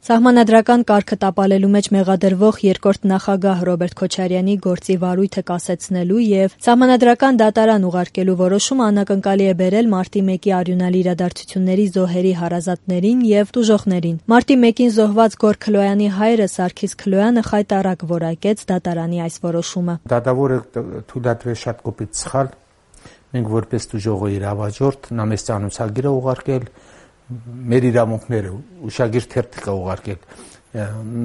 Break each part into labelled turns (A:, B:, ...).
A: Սահմանադրական կարգը տապալելու մեջ մեղադրվող երկրորդ նախագահ Ռոբերտ Քոչարյանի գործի վարույթը կասեցնելու եւ սահմանադրական դատարան ուղարկելու որոշումը անակնկալի է բերել մարտի 1-ի արյունալի իրադարձությունների զոհերի հարազատներին եւ տուժողներին։ Մարտի 1-ին զոհված Գոր Քլոյանի հայրը Սարգիս Քլոյանը խայտառակ որակեց դատարանի այս որոշումը։
B: Դատավորը թույլատրել շատ կոպիտ սխալ։ Մենք որպես տուժողի իրավաճորդ նա մեզ ծանուցագիր է ուղարկել մեր իրավունքները ուշագիր թերթ կա ուղարկել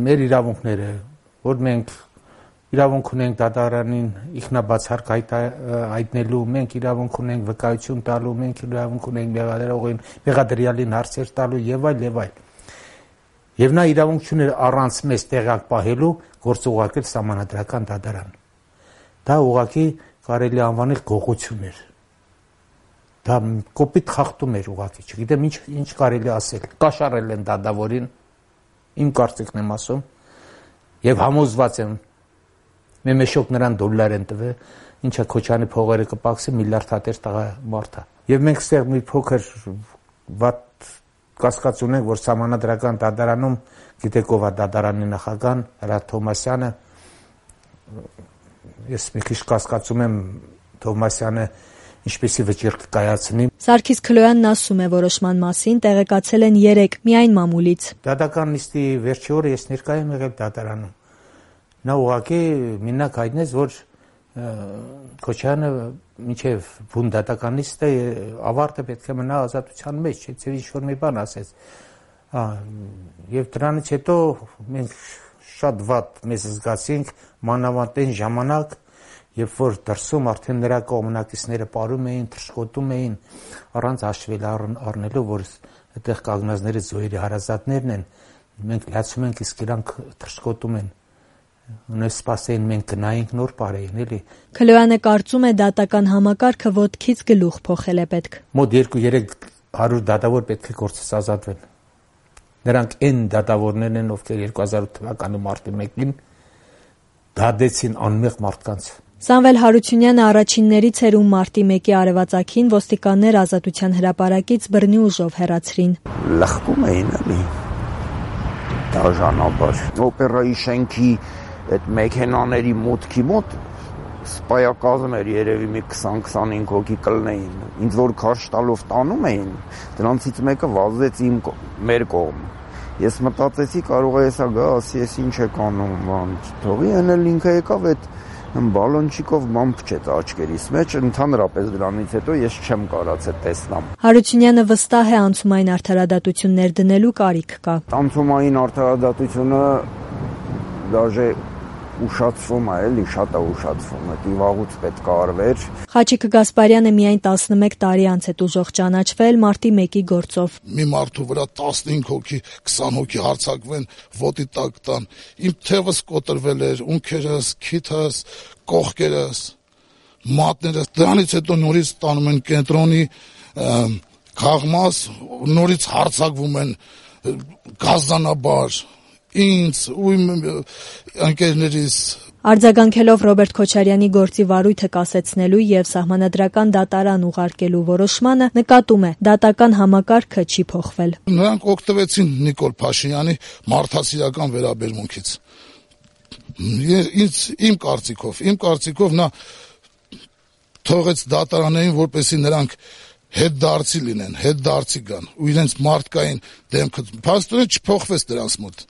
B: մեր իրավունքները որ մենք իրավունք ունենք դատարանին ինքնաբացարկ հայտնելու մենք իրավունք ունենք վկայություն տալու մենք իրավունք ունենք մեղադրողին մեղադրյալին հարցեր տալու եւ այլ եւ նա իրավունք ուներ առանց մեզ տեղակ պահելու գործ ուղարկել սահմանադրական դատարան դա ուղղակի կարելի անվանել գողություն էր դա կոպիտ խախտում էր ուղղակի, չգիտեմ ինչ կարելի ասել, կաշառել են դատավորին, իմ կարծիքն եմ ասում, եւ համոզված եմ, մեմեշոկ նրան դոլար են տվել, ինչա Քոչյանի փողերը կպակսի միլիարդ հատեր տղա մարդ է։ Եվ մենք ստեղ մի փոքր վատ կասկած ունենք, որ սահմանադրական դատարանում, գիտեք ով է դատարանի նախագահան, Հրաչ Թովմասյանը, ես մի քիչ կասկածում եմ Թովմասյանը ինչպեսի վճիռ կկայացնի։
A: Սարգիս Քլոյանն ասում է որոշման մասին տեղեկացել են 3 միայն մամուլից։
B: Դատական նիստի վերջի օրը ես ներկայ եմ եղել դատարանում։ Նա ուղղակի մենակ հայտնեց, որ Քոչյանը մինչև բուն դատական նիստը ավարտը պետք է մնա ազատության մեջ, չէ՞ ինչ-որ մի բան ասեց։ Եվ դրանից հետո մենք շատ վատ մեզ զգացինք մանավանդ այն ժամանակ Երբ որ դրսում արդեն նրա կողմնակիցները ապարում էին, թռչկոտում էին, առանց հաշվել առնելու, որ այդտեղ կանգնածները զոհերի հարազատներն են, մենք լացում ենք, իսկ իրանք թռչկոտում են։ Ունես սպասեին մենք գնայինք նոր բարեին, էլի։
A: Քլոյանը կարծում է դատական համակարգը ոտքից գլուխ փոխել է պետք։
B: Մոտ 2-300 դատավոր պետք է գործից ազատվեն։ Նրանք այն դատավորներն են, ովքեր 2008 թվականի մարտի 1-ին դադեցին անմեղ մարդկանց։
A: Սամվել Հարությունյանը առաջիններից էր, ում մարտի 1-ի արևածագին ոստիկաններ ազատության հրապարակից բռնի ուժով հեռացրին։
C: Լխկում էին էլի։ Դաժանաբար։ Օպերայի շենքի այդ մեքենաների մուտքի մոտ սպայակազմ էր երևի մի 20-25 հոգի կլնեին։ Ինձ որ քարշ տալով տանում էին, դրանցից մեկը վազեց մեր կողմ։ Ես մտածեցի կարող է հեսա գա, ասի ես ինչ եք անում, բան, թողի էնել ինքը եկավ այդ բալոնչիկով ման փչեց աչքերիս մեջ, ընդհանրապես դրանից հետո ես չեմ կարացել տեսնամ։
A: Հարությունյանը վստահ է անցումային արդարադատություններ դնելու կարիք կա։
C: Անցումային արդարադատությունը դաժե ուշացվում է, էլի շատ է ուշացվում, դա վաղուց պետք է արվեր։
A: Խաչիկ Գասպարյանը միայն 11 տարի անց է տուժող ճանաչվել մարտի 1-ի գործով։
D: Մի մարդու վրա 15 հոգի, 20 հոգի հարձակվեն, ոտի տակ տան։ Իմ թևս կոտրվել էր, ունքերս, քիթս, կողքերս, մատներս։ Դրանից հետո նորից տանում են կենտրոնի քաղմաս, նորից հարձակվում են գազանաբար։ Ինձ ու իմ ընկերներիս
A: Արձագանքելով Ռոբերտ Քոչարյանի գործի վարույթը կասեցնելու եւ սահմանադրական դատարան ուղարկելու որոշմանը նկատում է դատական համակարգը չի փոխվել։
D: Նրանք օգտվեցին Նիկոլ Փաշինյանի մարդասիրական վերաբերմունքից։ Իմ կարծիքով նա թողեց դատարաններին, որպեսզի նրանք հետդարձի լինեն, հետդարձի գան ու իրենց մարդկային դեմքը փաստորեն չփոխվեց դրանց մոտ։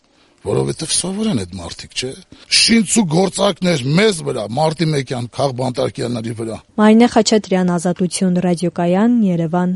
D: Որովհետև սովոր են այդ մարդիկ, չէ՞։ Շինցու գործակներ մեզ վրա, մարտի 1-յան քաղբանտարկյանների վրա։
A: Մարինե Խաչատրյան, Ազատություն, ռադիոկայան, Երևան։